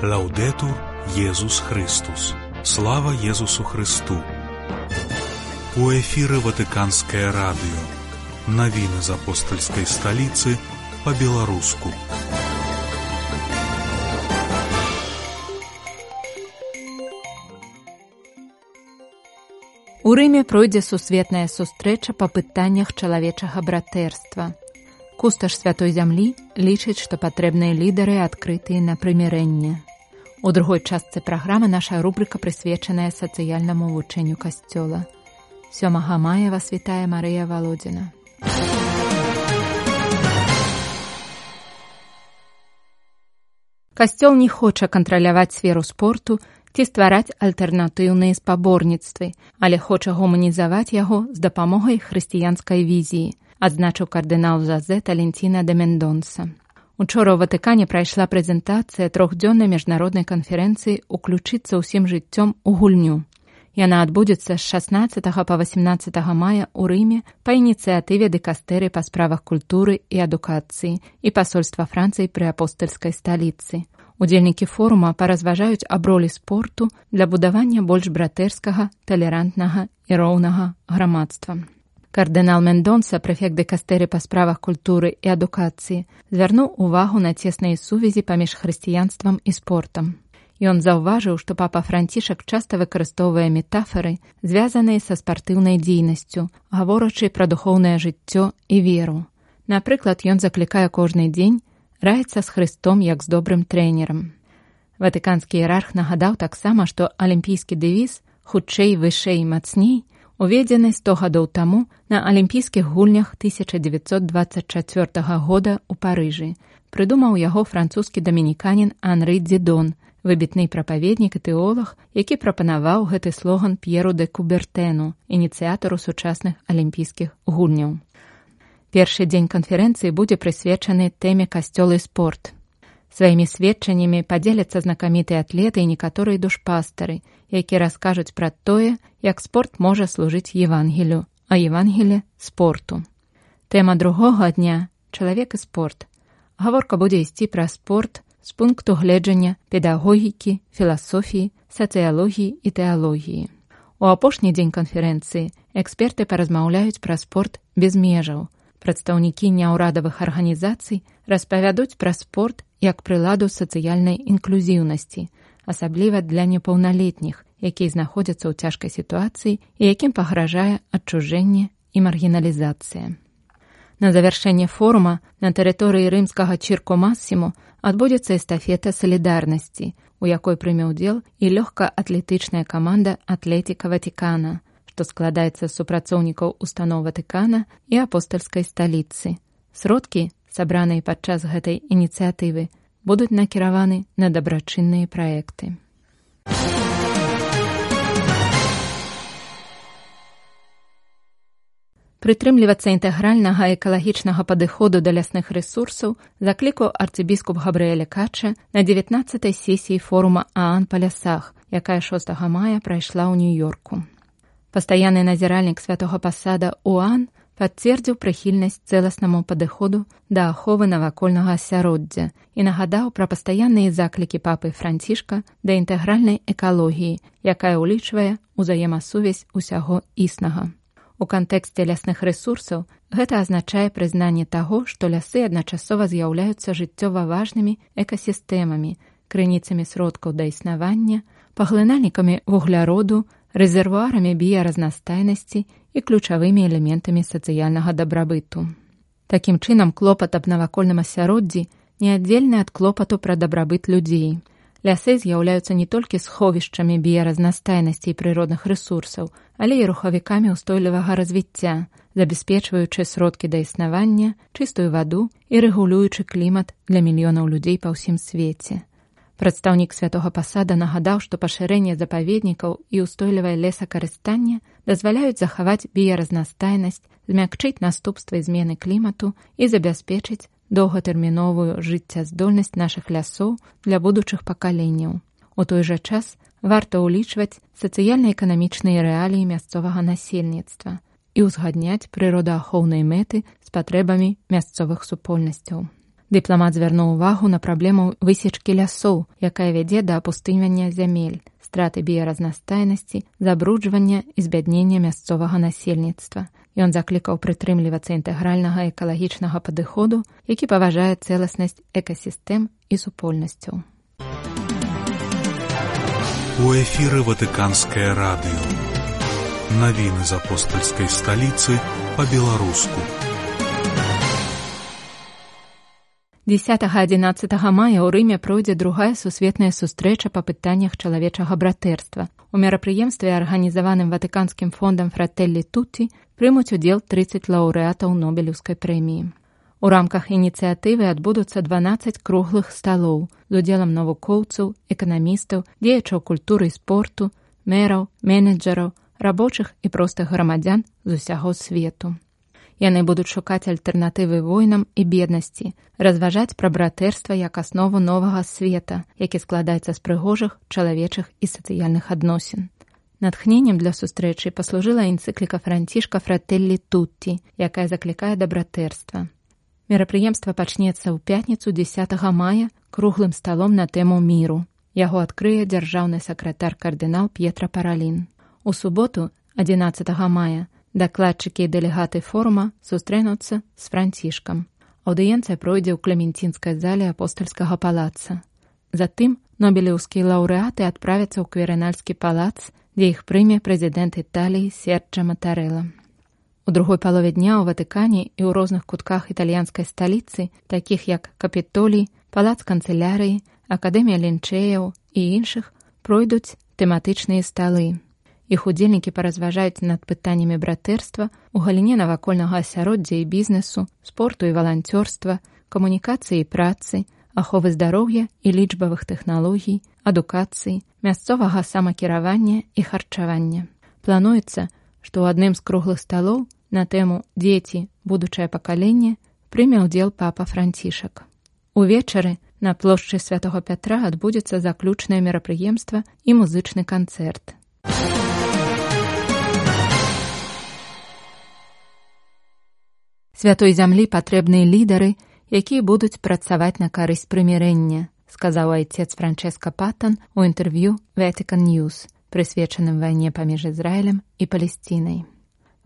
Лаўдетур Єсус Христос. Слава Єсусу Христу. У эфіры Ватыканскае радыё. Навіны з апостальскай сталіцы па-беларуску. У Рыме пройдзе сусветная сустрэча па пытаннях чалавечага братэрства. Кусташ Святой Зямлі лічыць, што патрэбныя лідары адкрытыя на прымірэнне. У другой частцы праграмы наша рубрыка прысвечаная сацыяльнаму вучэнню Касцёла. 7 мая вас вітае Марыя Валодзіна. Касцёл не хоча кантраляваць сферу спорту ці ствараць альтэрнатыўныя спаборніцтвы, але хоча гуманізаваць яго з дапамогай хрысціянскай візіі, адзначыў кардынал Жозе Талентіна де Мендонса. Учора ў Ватыкане прайшла прэзентацыя трохдзённай міжнароднай канферэнцыі «Уключыцца ўсім жыццём у гульню». Яна адбудзецца з 16 па 18 мая ў Рыме па ініцыятыве дыкастэры па справах культуры і адукацыі і пасольства Францыі пры апостальскай сталіцы. Удзельнікі форума паразважаюць аб ролі спорту для будавання больш братэрскага, талерантнага і роўнага грамадства. Кардынал Мендонса, прэфект дыкастэры па справах культуры і адукацыі, звярнуў увагу на цесныя сувязі паміж хрысціянствам і спортам. Ён заўважыў, што папа Францішак часта выкарыстоўвае метафары, звязаныя са спартыўнай дзейнасцю, гаворачы пра духоўнае жыццё і веру. Напрыклад, ён заклікае кожны дзень раіцца з Хрыстом як з добрым трэнерам. Ватыканскі іерарх нагадаў таксама, што алімпійскі дэвіз «Хутчэй, вышэй, мацней» уведзены 100 гадоў таму на алімпійскіх гульнях 1924 года ў Парыжы. Прыдумаў яго французскі дамініканін Анры Дзідон, выбітны прапаведнік і тэолаг, які прапанаваў гэты слоган П'еру де Кубертэну, ініцыятару сучасных алімпійскіх гульняў. Першы дзень канферэнцыі будзе прысвечаны тэме «Касцёл і спорт». Сваімі сведчаннямі падзеляцца знакамітыя атлеты і некаторыя душпастары, якія раскажуць пра тое, як спорт можа служыць Евангелію, а Евангелие – спорту. Тэма другога дня – «Чалавек і спорт». Гаворка будзе ісці пра спорт з пункту гледжання педагогікі, філасофіі, сацыялогіі і тэалогіі. У апошні дзень канферэнцыі эксперты паразмаўляюць пра спорт без межаў. Прадстаўнікі няўрадавых арганізацый распавядуць пра спорт як прыладу сацыяльнай інклюзіўнасці, асабліва для непаўналетніх, якія знаходзяцца ў цяжкай сітуацыі і якім пагражае адчужэнне і маргіналізацыя. На завяршэнне форума на тэрыторыі рымскага Чірко Масімо адбудзецца эстафета салідарнасці, у якой прыме ўдзел і лёгкаатлетычная каманда «Атлетика Ватикана», што складаецца з супрацоўнікаў устаноў Ватыкана і апостальскай сталіцы. Сродкі, сабраныя падчас гэтай ініцыятывы, будуць накіраваны на дабрачынныя праекты. Прытрымлівацца інтэгральнага экалагічнага падыходу да лясных рэсурсаў заклікаў арцыбіскуп Габрыэль Кача на 19-й сесіі форума ААН па лясах, якая 6 мая прайшла ў Нью-Йорку. Пастаянны назіральнік святога пасада ОАН пацвердзіў прыхільнасць цэласнаму падыходу да аховы навакольнага асяроддзя і нагадаў пра пастаянныя заклікі папы Францішка да інтэгральнай экалогіі, якая ўлічвае ўзаемасувязь усяго існага. У кантэксце лясных рэсурсаў гэта азначае прызнанне таго, што лясы адначасова з'яўляюцца жыццёва важнымі экасістэмамі, крыніцамі сродкаў да існавання, паглынальнікамі вугляроду, рэзервуарамі біяразнастайнасці і ключавымі элементамі сацыяльнага дабрабыту. Такім чынам, клопат аб навакольным асяроддзі неаддзельны ад клопату пра дабрабыт людзей. Лясы з'яўляюцца не толькі сховішчамі біяразнастайнасці і прыродных рэсурсаў, але і рухавікамі ўстойлівага развіцця, забяспечваючы сродкі да існавання, чыстую ваду і рэгулюючы клімат для мільёнаў людзей па ўсім свеце. Прадстаўнік святога пасада нагадаў, што пашырэнне запаведнікаў і ўстойлівае лесакарыстанне дазваляюць захаваць біяразнастайнасць, змякчыць наступствы змены клімату і забяспечыць доўгатэрміновую жыццяздольнасць нашых лясоў для будучых пакаленняў. У той жа час варта ўлічваць сацыяльна-эканамічныя рэаліі мясцовага насельніцтва і ўзгадняць прыродаахоўныя мэты з патрэбамі мясцовых супольнасцяў. Дыпламат звярнуў увагу на праблему высечкі лясоў, якая вядзе да апустынення зямель, страты біяразнастайнасці, забруджвання і збяднення мясцовага насельніцтва. Ён заклікаў прытрымлівацца інтэгральнага экалагічнага падыходу, які паважае цэласнасць экасістэм і супольнасцяў. У эфіры Ватыканскае радыё. Навіны з апостальскай сталіцы па-беларуску. 10-11 мая ў Рыме пройдзе другая сусветная сустрэча па пытаннях чалавечага братэрства. У мерапрыемстве, арганізаваным Ватыканскім фондам Фрателлі Тутті, прымуць удзел 30 лаўрэатаў Нобелеўскай прэміі. У рамках ініцыятывы адбудуцца 12 круглых сталоў з удзелам навукоўцаў, эканамістаў, дзеячаў культуры і спорту, мэраў, менеджераў, рабочых і простых грамадзян з усяго свету. Яны будуць шукаць альтэрнатывы войнам і беднасці, разважаць пра братэрства як аснову новага света, які складаецца з прыгожых, чалавечых і сацыяльных адносін. Натхненнем для сустрэчы паслужыла энцыкліка Францішка Фрателлі Тутті, якая заклікае да братэрства. Мерапрыемства пачнецца ў пятніцу 10 мая круглым сталом на тэму міру. Яго адкрые дзяржаўны сакратар кардынал П'етра Паралін. У суботу, 11 мая, дакладчыкі і дэлегаты форума сустрэнуцца з Францішкам. Аўдыенцыя пройдзе ў Клементінскай зале апостальскага палаца. Затым нобелеўскія лаўрэаты адправяцца ў Кверынальскі палац, дзе іх прыме прэзідэнт Італіі Серджа Матарэла. У другой палове дня ў Ватыкане і ў розных кутках італьянскай сталіцы, такіх як Капітолій, палац канцылярыі, акадэмія лінчэяў і іншых, пройдуць тэматычныя сталы. Іх удзельнікі паразважаюць над пытаннямі братэрства у галіне навакольнага асяроддзя і бізнесу, спорту і валанцёрства, камунікацыі і працы, аховы здароўя і лічбавых тэхналогій, адукацыі, мясцовага самакіравання і харчавання. Плануецца, што ў адным з круглых сталоў на тэму «Дзеці. Будучае пакаленне» прыме ўдзел папа Францішак. Увечары на плошчы Святога Пятра адбудзецца заключнае мерапрыемства і музычны канцэрт. Святой зямлі патрэбныя лідары, якія будуць працаваць на карысць прымірэння, сказаў айцец Франческа Патан у інтэрв'ю Vatican News, прысвечаным вайне паміж Ізраілем і Палесцінай.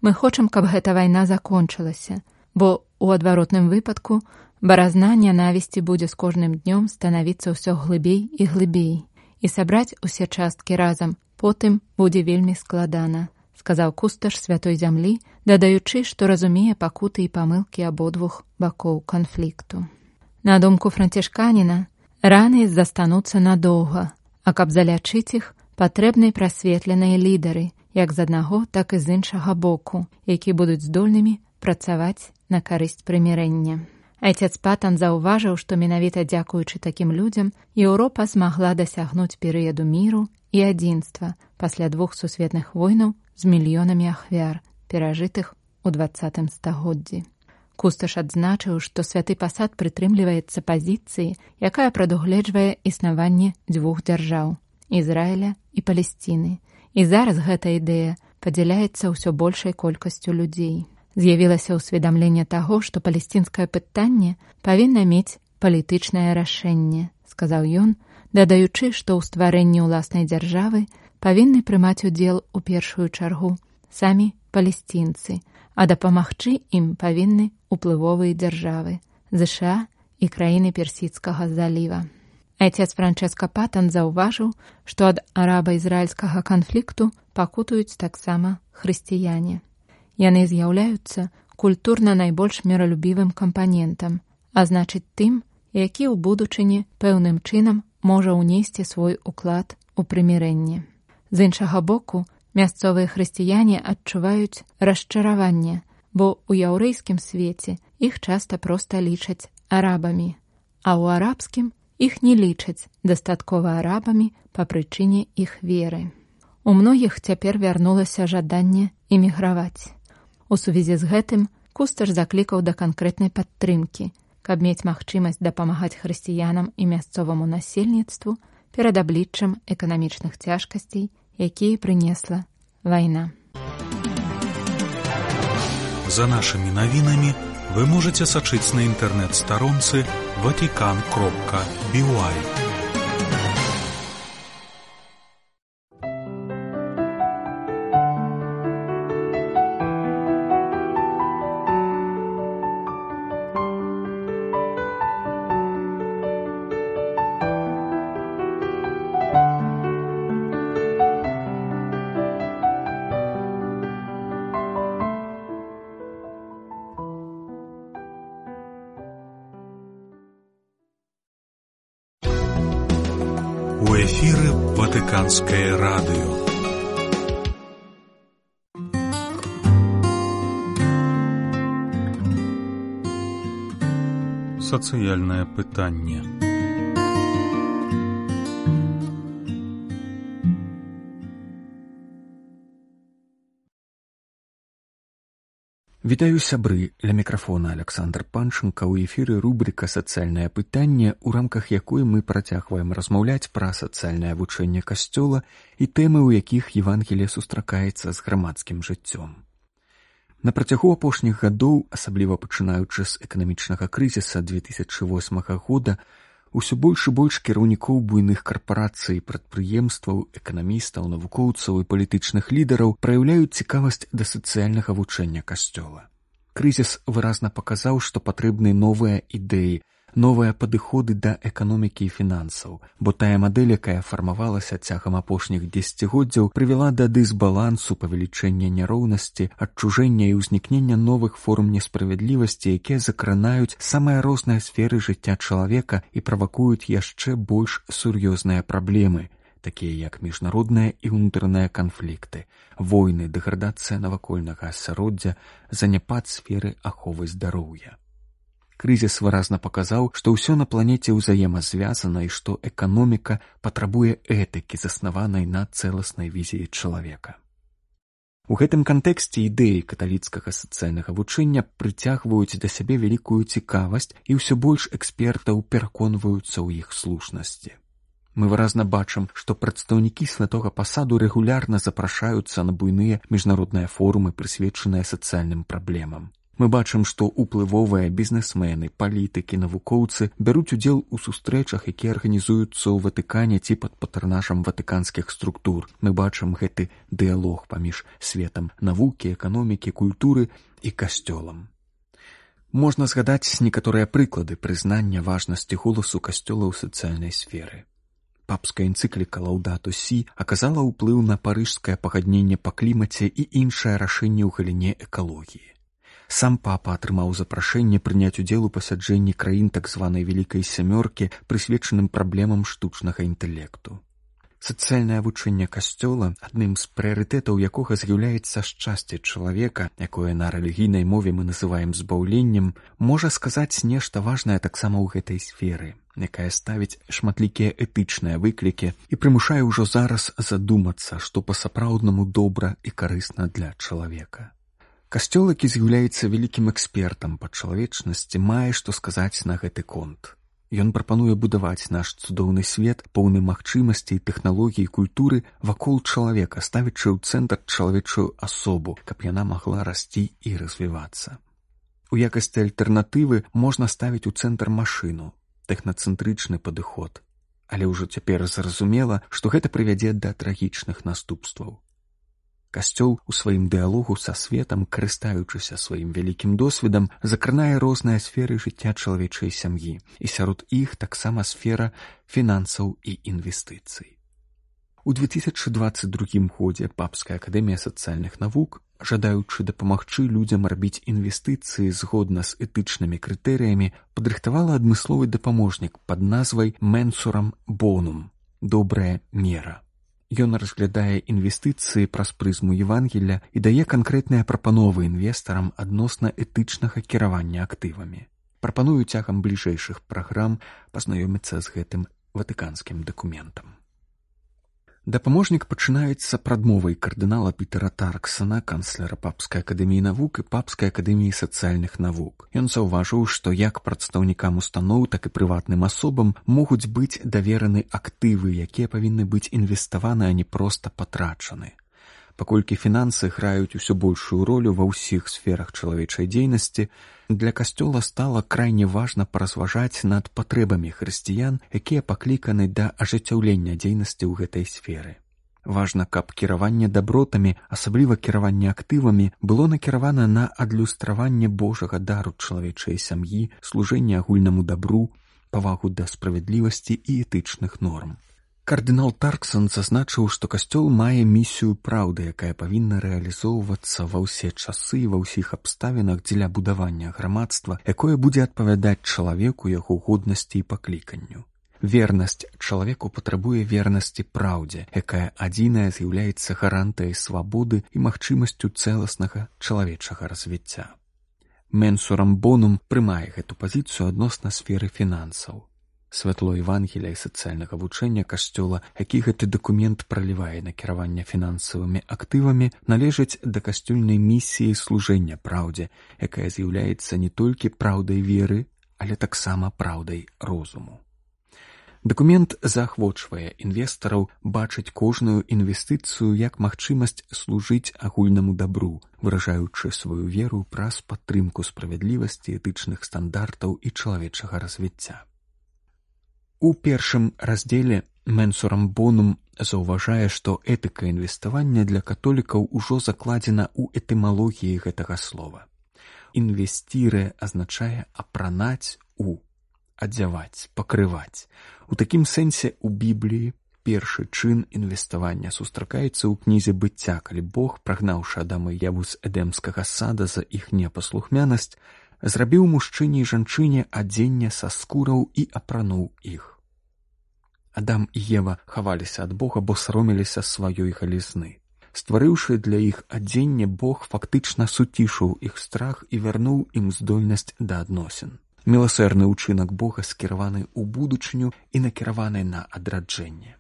Мы хочам, каб гэта вайна закончылася, бо ў адваротным выпадку баразна нянавісці будзе з кожным днём станавіцца ўсё глыбей і глыбей, і сабраць усе часткі разам потым будзе вельмі складана, сказаў кусташ Святой зямлі, дадаючы, што разумее пакуты і памылкі абодвух бакоў канфлікту. На думку францішканіна, раны застануцца надоўга, а каб залячыць іх, патрэбны прасветленыя лідары, як з аднаго, так і з іншага боку, які будуць здольнымі працаваць на карысць прымірэння. Айцец Патан заўважыў, што менавіта дзякуючы такім людзям Еўропа змагла дасягнуць перыяду міру і адзінства пасля 2 сусветных войнаў з мільёнамі ахвяр, перажытых у 20 стагоддзі. Кусташ адзначыў, што святы пасад прытрымліваецца пазіцыі, якая прадугледжвае існаванне 2 дзяржаў – Ізраіля і Палесціны. І зараз гэта ідэя падзяляецца ўсё большай колькасцю людзей. З'явілася ўсведамленне таго, што палесцінскае пытанне павінна мець палітычнае рашэнне, сказаў ён, дадаючы, што ў стварэнні ўласнай дзяржавы павінны прымаць удзел у першую чаргу самі палесцінцы, а дапамагчы ім павінны уплывовыя дзяржавы ЗША і краіны Персідскага заліва. Айцец Франческа Патан заўважыў, што ад араба-ізраільскага канфлікту пакутуюць таксама хрысціяне. Яны з'яўляюцца культурна найбольш міралюбівым кампанентам, а значыць тым, які ў будучыні пэўным чынам можа ўнесці свой уклад у прымірэнне. З іншага боку, мясцовыя хрысціяне адчуваюць расчараванне, бо ў яўрэйскім свеце іх часта проста лічаць арабамі, а ў арабскім іх не лічаць дастаткова арабамі па прычыне іх веры. У многіх цяпер вярнулася жаданне эміграваць. У сувязі з гэтым кусташ заклікаў да канкрэтнай падтрымкі, каб мець магчымасць дапамагаць хрысціянам і мясцоваму насельніцтву перад абліччам эканамічных цяжкасцей, якія прынесла вайна. За нашымі навінамі вы можете сачыць на інтэрнэт-старонцы vatican.by. У эфіры Ватыканскае радыё. Сацыяльнае пытанне. Вітаю, сябры, ля мікрафона Александр Панченко. У эфіры рубрика «Сацыяльнае пытанне», у рамках якой мы працягваем размаўляць пра сацыяльнае вучэнне Касцёла і тэмы, у якіх Евангелие сустракаецца з грамадскім жыццём. На працягу апошніх гадоў, асабліва пачынаючы з эканамічнага крызіса 2008 года, усё больш і больш кіраўнікоў буйных карпарацый, прадпрыемстваў, эканамістаў, навукоўцаў і палітычных лідараў праяўляюць цікавасць да сацыяльнага вучэння Касцёла. Крызіс выразна паказаў, што патрэбны новыя ідэі, новыя падыходы да эканомікі і фінансаў, бо тая мадэль, якая фармавалася цягам апошніх дзесяцігоддзяў, прывяла да дысбалансу, павелічэння няроўнасці, адчужэння і ўзнікнення новых форм несправядлівасці, якія закранаюць самыя розныя сферы жыцця чалавека і правакуюць яшчэ больш сур'ёзныя праблемы, такія як міжнародныя і ўнутраныя канфлікты, войны, дэградацыя навакольнага асяроддзя, заняпад сферы аховы здароўя. Крызіс выразна паказаў, што ўсё на планеце ўзаемазвязана і што эканоміка патрабуе этыкі, заснаванай на цэласнай візіі чалавека. У гэтым кантэксце ідэі каталіцкага сацыяльнага вучэння прыцягваюць да сябе вялікую цікавасць і ўсё больш экспертаў пераконваюцца ў іх слушнасці. Мы выразна бачым, што прадстаўнікі святога пасаду рэгулярна запрашаюцца на буйныя міжнародныя форумы, прысвечаныя сацыяльным праблемам. Мы бачым, што ўплывовыя бізнесмены, палітыкі, навукоўцы бяруць удзел у сустрэчах, якія арганізуюцца ў Ватыкане ці пад патранажам ватыканскіх структур. Мы бачым гэты дыялог паміж светам навукі, эканомікі, культуры і касцёлам. Можна згадаць некаторыя прыклады прызнання важнасці голасу касцёла ў сацыяльнай сферы. Папская энцыкліка «Лаўдату сі» аказала ўплыў на парыжскае пагадненне па клімаце і іншае рашэнне ў галіне экалогіі. Сам папа атрымаў запрашэнне прыняць удзел у пасяджэнні краін так званай Вялікай Сямёркі, прысвечаным праблемам штучнага інтэлекту. Сацыяльнае вучэнне Касцёла, адным з прыярытэтаў якога з'яўляецца шчасце чалавека, якое на рэлігійнай мове мы называем збаўленнем, можа сказаць нешта важнае таксама ў гэтай сферы, якая ставіць шматлікія этычныя выклікі і прымушае ўжо зараз задумацца, што па-сапраўднаму добра і карысна для чалавека. Касцёл, які з'яўляецца вялікім экспертам па чалавечнасці, мае што сказаць на гэты конт. Ён прапануе будаваць наш цудоўны свет, поўны магчымасцей, тэхналогій і культуры вакол чалавека, ставячы ў цэнтр чалавечую асобу, каб яна магла расці і развівацца. У якасці альтэрнатывы можна ставіць у цэнтр машыну, тэхнацэнтрычны падыход. Але ўжо цяпер зразумела, што гэта прывядзе да трагічных наступстваў. Касцёл у сваім дыялогу са светам, карыстаючыся сваім вялікім досведам, закранае розныя сферы жыцця чалавечай сям'і, і сярод іх таксама сфера фінансаў і інвестыцый. У 2022 годзе Папская акадэмія сацыяльных навук, жадаючы дапамагчы людзям рабіць інвестыцыі згодна з этычнымі крытэрыямі, падрыхтавала адмысловы дапаможнік пад назвай «Менсурам бонум» – «Добрая мера». Ён разглядае інвестыцыі праз прызму Евангелля і дае канкрэтныя прапановы інвестарам адносна этычнага кіравання актывамі. Прапаную цягам бліжэйшых праграм пазнаёміцца з гэтым ватыканскім дакументам. Дапаможнік пачынаецца прадмовай кардынала Пітера Тарксона, канцлера Папскай акадэміі навук і Папскай акадэміі сацыяльных навук. Ён заўважыў, што як прадстаўнікам устаноў, так і прыватным асобам могуць быць давераны актывы, якія павінны быць інвеставаны, а не проста патрачаны. Паколькі фінансы граюць усё большую ролю ва ўсіх сферах чалавечай дзейнасці, для касцёла стала крайне важна паразважаць над патрэбамі хрысціян, якія пакліканы да ажыццяўлення дзейнасці ў гэтай сферы. Важна, каб кіраванне дабротамі, асабліва кіраванне актывамі, было накіравана на адлюстраванне Божага дару чалавечай сям'і, служэнне агульнаму дабру, павагу да справядлівасці і этычных норм. Кардынал Тарксон зазначыў, што касцёл мае місію праўды, якая павінна рэалізоўвацца ва ўсе часы і ва ўсіх абставінах дзеля будавання грамадства, якое будзе адпавядаць чалавеку, яго годнасці і пакліканню. Вернасць чалавеку патрабуе вернасці праўдзе, якая адзіная з'яўляецца гарантыяй свабоды і магчымасцю цэласнага чалавечага развіцця. Менсурам Бонум прымае гэту пазіцыю адносна сферы фінансаў. Святло Евангелія і сацыяльнага вучэння касцёла, які гэты дакумент пралівае на кіраванне фінансавымі актывамі, належыць да касцёльнай місіі служэння праўдзе, якая з'яўляецца не толькі праўдай веры, але таксама праўдай розуму. Дакумент заахвочвае інвестараў бачыць кожную інвестыцыю як магчымасць служыць агульнаму дабру, выражаючы сваю веру праз падтрымку справядлівасці, этычных стандартаў і чалавечага развіцця. У першым раздзеле Менсурам Бонум заўважае, што этыка інвеставання для католікаў ужо закладзена ў этымалогіі гэтага слова. Інвестіре азначае апранаць адзяваць, пакрываць. У такім сэнсе ў Бібліі першы чын інвеставання сустракаецца ў кнізе быцця, калі Бог, прагнаўшы Адама і Еву з эдэмскага сада за іх непаслухмянасць, зрабіў мужчыне і жанчыне адзенне са скураў і апрануў іх. Адам і Ева хаваліся ад Бога, бо саромеліся сваёй галізны. Стварыўшы для іх адзенне, Бог фактычна суцішыў іх страх і вярнуў ім здольнасць да адносін. Міласэрны ўчынак Бога скіраваны ў будучыню і накіраваны на адраджэнне.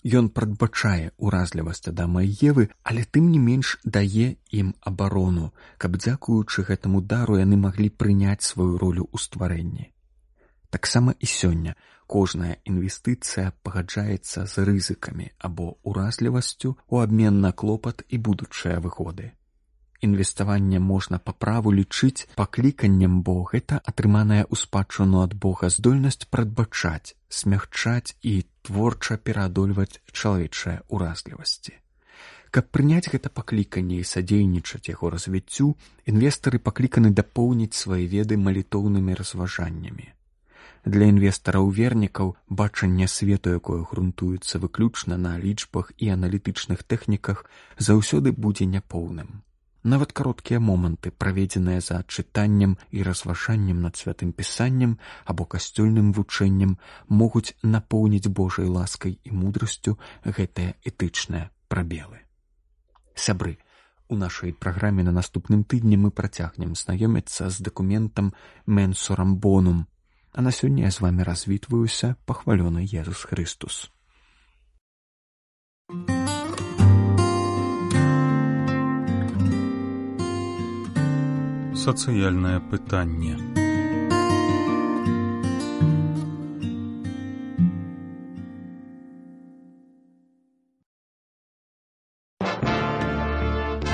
Ён прадбачае уразлівасць Адама і Евы, але тым не менш дае ім абарону, каб дзякуючы гэтаму дару яны маглі прыняць сваю ролю ў стварэнні. Таксама і сёння кожная інвестыцыя пагаджаецца з рызыкамі або уразлівасцю ў абмен на клопат і будучыя выгоды. Інвеставанне можна па праву лічыць пакліканнем, бо гэта атрыманая ў спадчыну ад Бога здольнасць прадбачаць, смягчаць і творча пераадольваць чалавечыя уразлівасці. Каб прыняць гэта пакліканне і садзейнічаць яго развіццю, інвестары пакліканы дапоўніць свае веды малітоўнымі разважаннямі. Для інвестараў-вернікаў бачанне свету, якое грунтуецца выключна на лічбах і аналітычных тэхніках, заўсёды будзе няпоўным. Нават кароткія моманты, праведзеныя за чытаннем і разважаннем над святым пісаннем або касцёльным вучэннем, могуць напоўніць Божай ласкай і мудрасцю гэтыя этычныя прабелы. Сябры, у нашай праграме на наступным тыдні мы працягнем знаёміцца з дакументам Менсурам Бонум, а на сёння я з вамі развітваюся, пахвалёны Езус Христус. Сацыяльнае пытанне.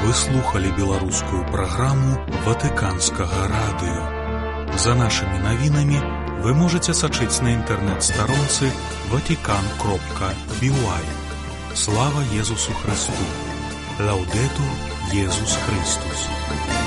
Вы слухали беларускую праграму Ватыканскага радыё. За нашымі навінамі вы можаце сачыць на інтэрнэт-старонцы vatican.by. Слава Езусу Христу! Лаўдэтур Езус Христус!